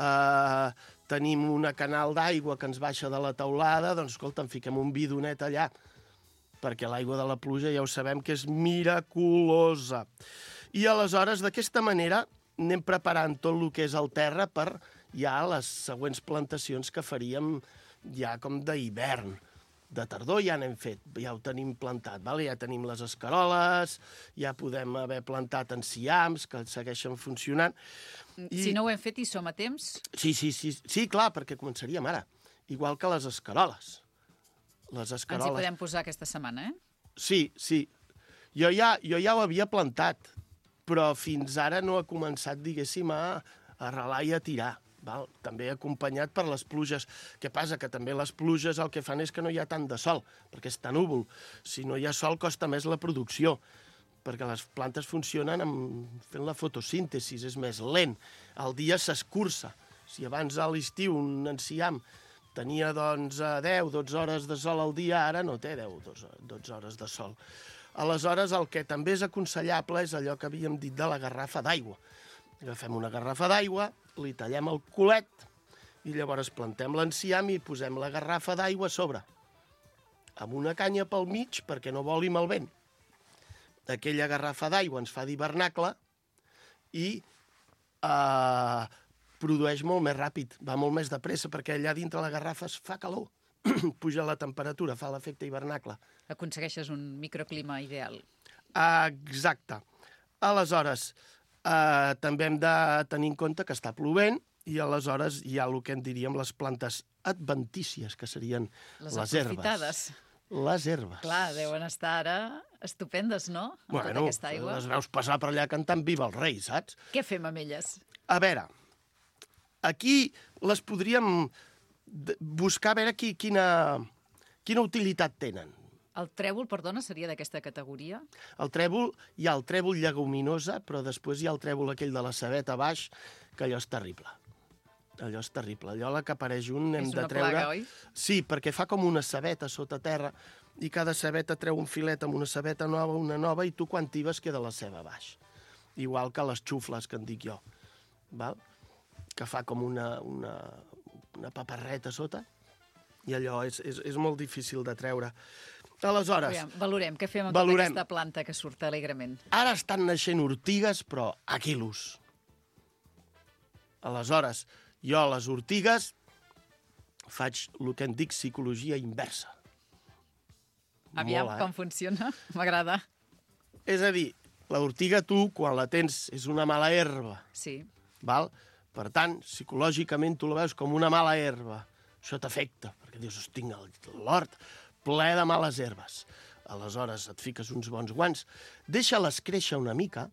eh, tenim una canal d'aigua que ens baixa de la teulada, doncs, escolta, en fiquem un bidonet allà, perquè l'aigua de la pluja ja ho sabem que és miraculosa. I aleshores, d'aquesta manera, anem preparant tot el que és el terra per ja les següents plantacions que faríem ja com d'hivern. De tardor ja n'hem fet, ja ho tenim plantat, vale? Ja tenim les escaroles, ja podem haver plantat enciams que segueixen funcionant. I... Si no ho hem fet i som a temps... Sí, sí, sí, sí, clar, perquè començaríem ara, igual que les escaroles. Les escaroles. Ens hi podem posar aquesta setmana, eh? Sí, sí. Jo ja, jo ja ho havia plantat, però fins ara no ha començat, diguéssim, a arrelar i a tirar. Val? També acompanyat per les pluges. Què passa? Que també les pluges el que fan és que no hi ha tant de sol, perquè està núvol. Si no hi ha sol costa més la producció, perquè les plantes funcionen amb... fent la fotosíntesi, és més lent. El dia s'escurça. Si abans a l'estiu un enciam tenia doncs, deu dotze hores de sol al dia, ara no té deu dotze hores de sol. Aleshores, el que també és aconsellable és allò que havíem dit de la garrafa d'aigua. Agafem una garrafa d'aigua, li tallem el culet i llavors plantem l'enciam i posem la garrafa d'aigua a sobre, amb una canya pel mig perquè no voli el vent. Aquella garrafa d'aigua ens fa d'hivernacle i eh, produeix molt més ràpid, va molt més de pressa, perquè allà dintre la garrafa es fa calor, puja la temperatura, fa l'efecte hivernacle. Aconsegueixes un microclima ideal. Exacte. Aleshores, Uh, també hem de tenir en compte que està plovent i aleshores hi ha el que en diríem les plantes adventícies, que serien les, les herbes. Les herbes. Clar, deuen estar ara estupendes, no? Amb bueno, tota aquesta aigua. les veus passar per allà cantant Viva el rei, saps? Què fem amb elles? A veure, aquí les podríem buscar a veure qui, quina, quina utilitat tenen. El trèvol, perdona, seria d'aquesta categoria? El trèvol, hi ha el trèvol lleguminosa, però després hi ha el trèvol aquell de la cebeta a baix, que allò és terrible. Allò és terrible. Allò la que apareix un hem és de una treure... plaga, oi? Sí, perquè fa com una cebeta sota terra i cada cebeta treu un filet amb una cebeta nova, una nova, i tu quan tibes queda la ceba a baix. Igual que les xufles, que en dic jo. Val? Que fa com una, una, una paparreta sota i allò és, és, és molt difícil de treure. Aleshores... Aviam, valorem, què fem amb valorem. tota aquesta planta que surt alegrement? Ara estan naixent ortigues, però a quilos. Aleshores, jo a les ortigues faig el que en dic psicologia inversa. Aviam, Mola, com eh? funciona? M'agrada. És a dir, l'ortiga tu, quan la tens, és una mala herba. Sí. Val? Per tant, psicològicament tu la veus com una mala herba. Això t'afecta, perquè dius, hosti, tinc l'hort ple de males herbes. Aleshores et fiques uns bons guants, deixa-les créixer una mica,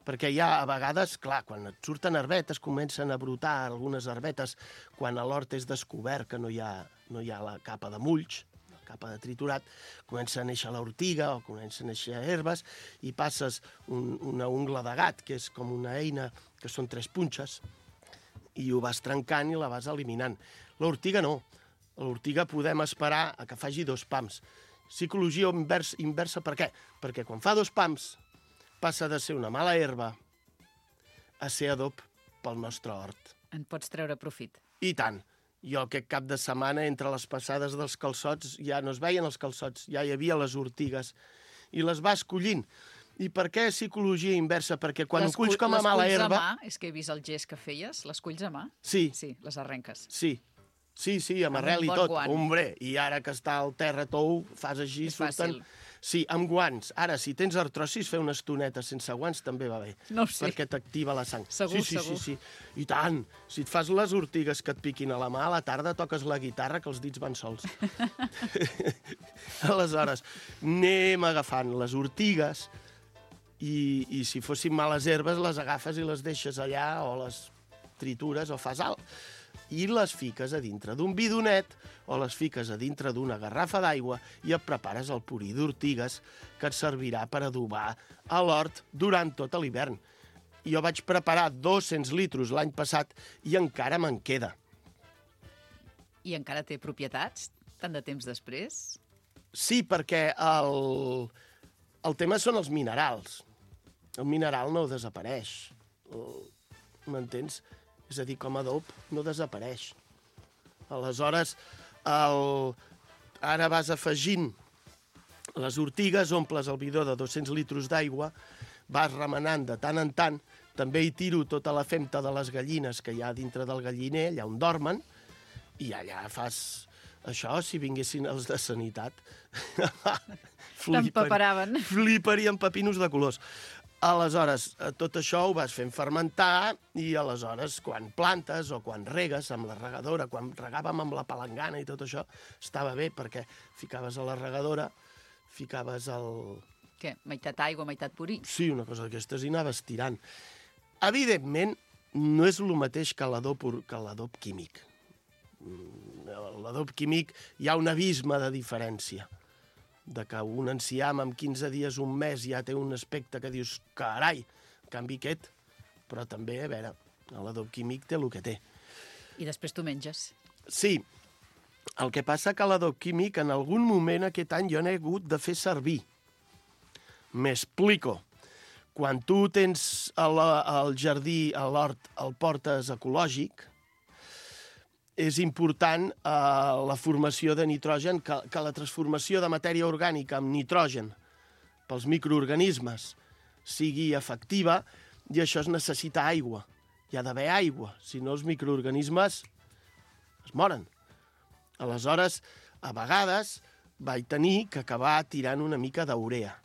perquè hi ha a vegades, clar, quan et surten herbetes, comencen a brotar algunes herbetes, quan a l'hort és descobert que no hi ha, no hi ha la capa de mulls, la capa de triturat, comença a néixer l'ortiga o comença a néixer herbes i passes un, una ungla de gat, que és com una eina, que són tres punxes, i ho vas trencant i la vas eliminant. L'ortiga no. L'ortiga podem esperar a que faci dos pams. Psicologia inversa, inversa per què? Perquè quan fa dos pams passa de ser una mala herba a ser adob pel nostre hort. En pots treure profit. I tant. Jo aquest cap de setmana, entre les passades dels calçots, ja no es veien els calçots, ja hi havia les ortigues, i les vas collint. I per què psicologia inversa? Perquè quan ho culls com a mala herba... Les culls a mà, és que he vist el gest que feies, les culls a mà? Sí. Sí, les arrenques. Sí. Sí, sí, amb, amb arrel i tot. Guant. Hombre, i ara que està al terra tou, fas així, és surten... Fàcil. Sí, amb guants. Ara, si tens artrosis, fer una estoneta sense guants també va bé. No ho sé. Perquè t'activa la sang. Segur, sí, sí, segur. Sí, sí. I tant. Si et fas les ortigues que et piquin a la mà, a la tarda toques la guitarra, que els dits van sols. Aleshores, anem agafant les ortigues i, i si fossin males herbes, les agafes i les deixes allà, o les tritures, o fas alt. I les fiques a dintre d'un bidonet o les fiques a dintre d'una garrafa d'aigua i et prepares el purí d'ortigues que et servirà per adobar a l'hort durant tot l'hivern. Jo vaig preparar dos-cents litros l'any passat i encara me'n queda. I encara té propietats, tant de temps després? Sí, perquè el, el tema són els minerals. El mineral no desapareix. M'entens? És a dir, com a adob no desapareix. Aleshores, el... ara vas afegint les ortigues, omples el bidó de dos-cents litros d'aigua, vas remenant de tant en tant, també hi tiro tota la femta de les gallines que hi ha dintre del galliner, allà on dormen, i allà fas això, si vinguessin els de sanitat. T'empaparaven. Fliparien pepinos de colors. Aleshores, tot això ho vas fent fermentar i aleshores, quan plantes o quan regues amb la regadora, quan regàvem amb la palangana i tot això, estava bé perquè ficaves a la regadora, ficaves el... Què? Meitat aigua, meitat purí? Sí, una cosa d'aquestes i anaves tirant. Evidentment, no és el mateix que l'adob que l'adob químic. L'adob químic hi ha un abisme de diferència. De que un enciam en quinze dies, un mes, ja té un aspecte que dius, carai, en canvi aquest, però també, a veure, l'adob químic té el que té. I després tu menges. Sí, el que passa que l'adob químic en algun moment aquest any jo n'he hagut de fer servir. M'explico. Quan tu tens el, el jardí, a l'hort, el portes ecològic, és important eh, la formació de nitrogen, que, que la transformació de matèria orgànica amb nitrogen pels microorganismes sigui efectiva, i això es necessita aigua. Hi ha d'haver aigua, si no els microorganismes es moren. Aleshores, a vegades vaig tenir que acabar tirant una mica d'urea.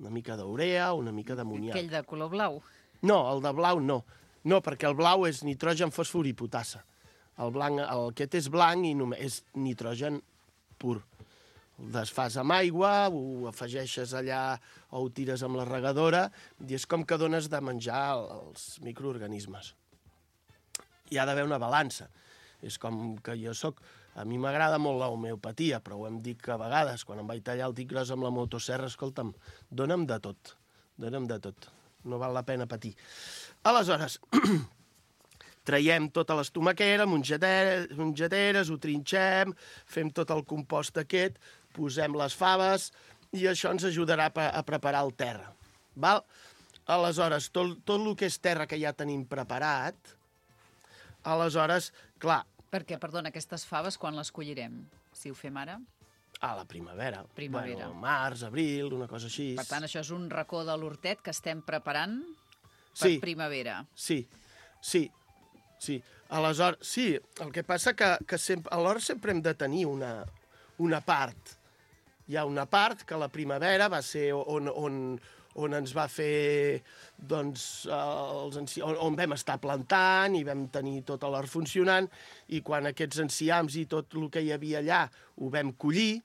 Una mica d'urea, una mica d'amoníac. Aquell de color blau. No, el de blau no. No, perquè el blau és nitrogen, fòsfor i potassa. El blanc, el aquest és blanc i només és nitrogen pur. El desfas amb aigua, ho afegeixes allà o ho tires amb la regadora i és com que dones de menjar als microorganismes. Hi ha d'haver una balança. És com que jo soc... A mi m'agrada molt l'homeopatia, però ho hem dit que a vegades, quan em vaig tallar el dit gros amb la motosserra, escolta'm, dona'm de tot, dona'm de tot. No val la pena patir. Aleshores, traiem tota l'estomaquera, mongeteres, mongeteres, ho trinxem, fem tot el compost aquest, posem les faves i això ens ajudarà a preparar el terra. Val? Aleshores, tot, tot el que és terra que ja tenim preparat, aleshores, clar... Perquè, perdona, aquestes faves quan les collirem? Si ho fem ara? A la primavera. Primavera. Bueno, març, abril, una cosa així. Per tant, això és un racó de l'hortet que estem preparant per sí. primavera. Sí, sí, sí. Aleshores, sí, el que passa que, que sempre, alhora sempre hem de tenir una, una part. Hi ha una part que la primavera va ser on, on, on ens va fer, doncs, els enci... on, on vam estar plantant i vam tenir tot l'hort funcionant, i quan aquests enciams i tot el que hi havia allà ho vam collir,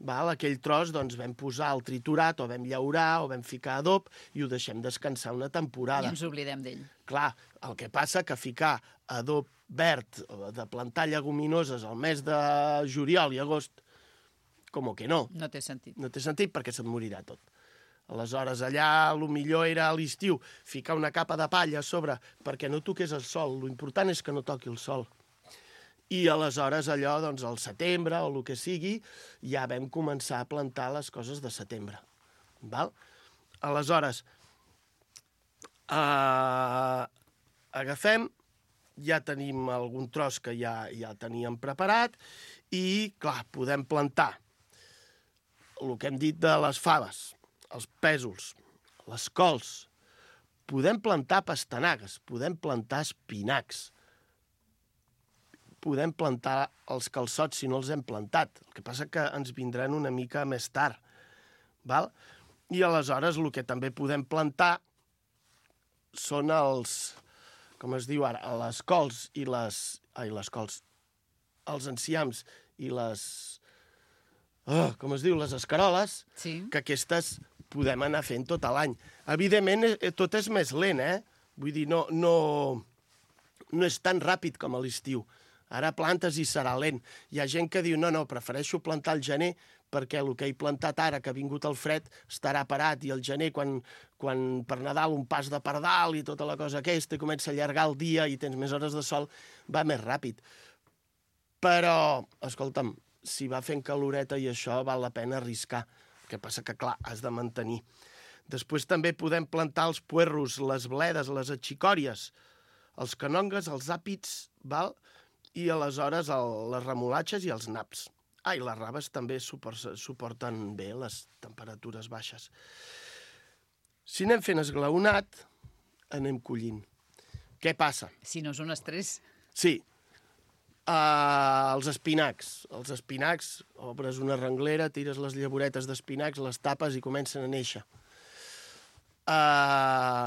val? Aquell tros doncs, vam posar el triturat, o vam llaurar, o vam ficar adob, i ho deixem descansar una temporada. I ens oblidem d'ell. Clar, el que passa que ficar adob verd, de plantar lleguminoses al mes de juliol i agost, com que no. No té sentit. No té sentit perquè se't morirà tot. Aleshores, allà, el millor era a l'estiu ficar una capa de palla a sobre perquè no toqués el sol. L'important és que no toqui el sol. I aleshores, allò, doncs, al setembre o el que sigui, ja vam començar a plantar les coses de setembre. Val? Aleshores, eh, agafem, ja tenim algun tros que ja, ja teníem preparat i, clar, podem plantar el que hem dit de les faves, els pèsols, les cols. Podem plantar pastanagues, podem plantar espinacs, podem plantar els calçots si no els hem plantat. El que passa que ens vindran una mica més tard. Val? I aleshores el que també podem plantar són els, com es diu ara, les cols i les... Ai, les cols. Els enciams i les... Oh, com es diu, les escaroles, sí. Que aquestes podem anar fent tot l'any. Evidentment, tot és més lent, eh? Vull dir, no, no, no és tan ràpid com a l'estiu. Ara plantes i serà lent. Hi ha gent que diu, no, no, prefereixo plantar al gener perquè el que he plantat ara, que ha vingut el fred, estarà parat, i al gener, quan, quan per Nadal un pas de pardal i tota la cosa aquesta, i comença a allargar el dia i tens més hores de sol, va més ràpid. Però, escolta'm, si va fent caloreta i això val la pena arriscar. El que passa que, clar, has de mantenir. Després també podem plantar els puerros, les bledes, les atxicòries, els canongues, els àpids, val? I aleshores el, les remolatges i els naps. Ah, i les raves també suporten bé les temperatures baixes. Si anem fent esglaonat, anem collint. Què passa? Si no és un estrès. Sí. Uh, els espinacs. Els espinacs, obres una renglera, tires les llavoretes d'espinacs, les tapes i comencen a néixer. Uh,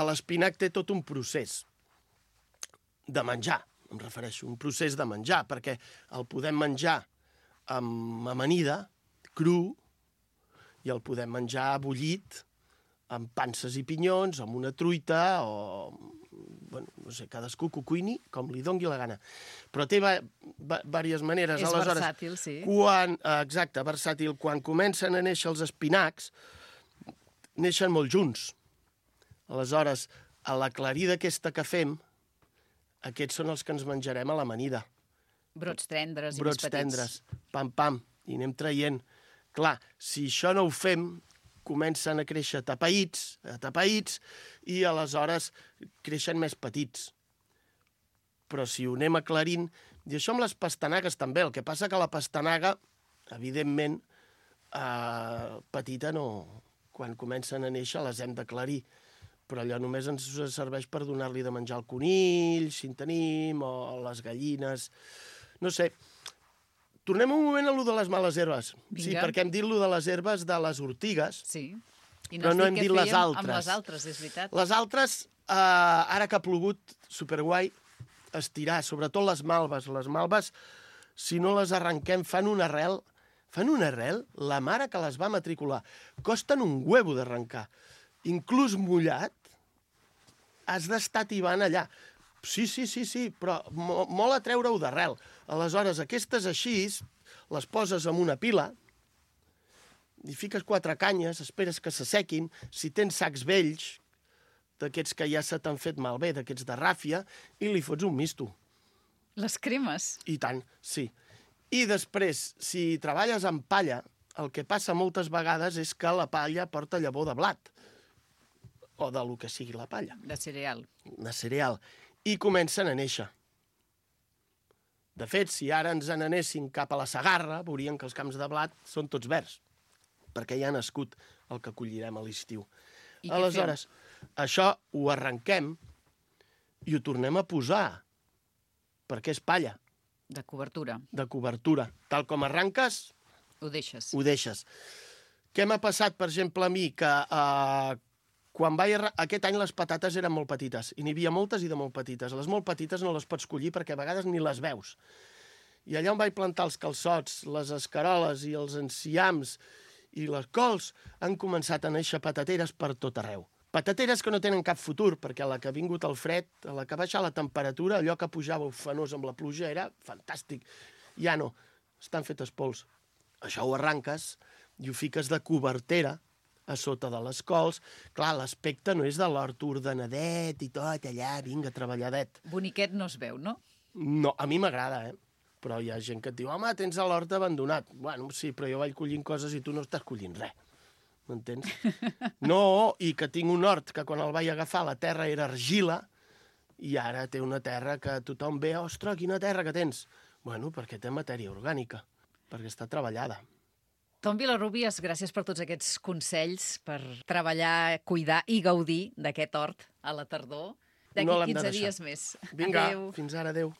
l'espinac té tot un procés de menjar, em refereixo, un procés de menjar, perquè el podem menjar amb amanida, cru, i el podem menjar bullit, amb panses i pinyons, amb una truita, o... Bueno, no sé, cadascú que ho cuini com li dongui la gana. Però té diverses maneres. És aleshores, versàtil, sí. Quan, exacte, versàtil. Quan comencen a néixer els espinacs, neixen molt junts. Aleshores, a l'aclarida aquesta que fem, aquests són els que ens menjarem a l'amanida. Brots tendres i Brots més petits. tendres, pam, pam, i anem traient. Clar, si això no ho fem, comencen a créixer tapaïts, tapaïts, i aleshores creixen més petits. Però si ho anem aclarint... I això amb les pastanagues també. El que passa que la pastanaga, evidentment, eh, petita no... Quan comencen a néixer les hem d'aclarir. Però allò només ens serveix per donar-li de menjar al conill, si en tenim, o les gallines... No sé... Tornem un moment a lo de les males herbes. Vinga. Sí, perquè hem dit lo de les herbes de les ortigues, Sí. I però no hem dit les altres. Amb les altres, és veritat. Les altres, Uh, ara que ha plogut, superguai, estirar, sobretot les malves. Les malves, si no les arrenquem, fan una arrel, fan una arrel, la mare que les va matricular. Costen un huevo d'arrencar. Inclús mullat, has d'estar tibant allà. Sí, sí, sí, sí, però mo molt a treure-ho d'arrel. Aleshores, aquestes així, les poses en una pila, hi fiques quatre canyes, esperes que s'assequin. Si tens sacs vells, d'aquests que ja se t'han fet malbé, d'aquests de ràfia, i li fots un misto. Les cremes? I tant, sí. I després, si treballes amb palla, el que passa moltes vegades és que la palla porta llavor de blat, o de lo que sigui la palla. De cereal. De cereal. I comencen a néixer. De fet, si ara ens n'anéssim cap a la Segarra, veuríem que els camps de blat són tots verds, perquè ja ha nascut el que collirem a l'estiu. Aleshores, això ho arrenquem i ho tornem a posar, perquè és palla. De cobertura. De cobertura. Tal com arranques, ho deixes. Ho deixes. Què m'ha passat, per exemple, a mi, que eh, quan vaig arran... aquest any les patates eren molt petites, i n'hi havia moltes i de molt petites. Les molt petites no les pots collir perquè a vegades ni les veus. I allà on vaig plantar els calçots, les escaroles i els enciams i les cols, han començat a néixer patateres per tot arreu. Patateres que no tenen cap futur, perquè a la que ha vingut el fred, a la que ha baixat la temperatura, allò que pujava ufanós amb la pluja era fantàstic. Ja no, estan fetes pols. Això ho arranques i ho fiques de cobertera a sota de les cols. Clar, l'aspecte no és de l'hort ordenadet i tot allà, vinga, treballadet. Boniquet no es veu, no? No, a mi m'agrada, eh? Però hi ha gent que et diu, home, tens l'hort abandonat. Bueno, sí, però jo vaig collint coses i tu no estàs collint res. M'entens? No, i que tinc un hort que quan el vaig agafar la terra era argila i ara té una terra que tothom ve, ostres, quina terra que tens. Bueno, perquè té matèria orgànica, perquè està treballada. Tom Vilarrubias, gràcies per tots aquests consells per treballar, cuidar i gaudir d'aquest hort a la tardor. D'aquí No l'hem de quinze deixar. dies més. Vinga, Adéu. fins ara, adéu.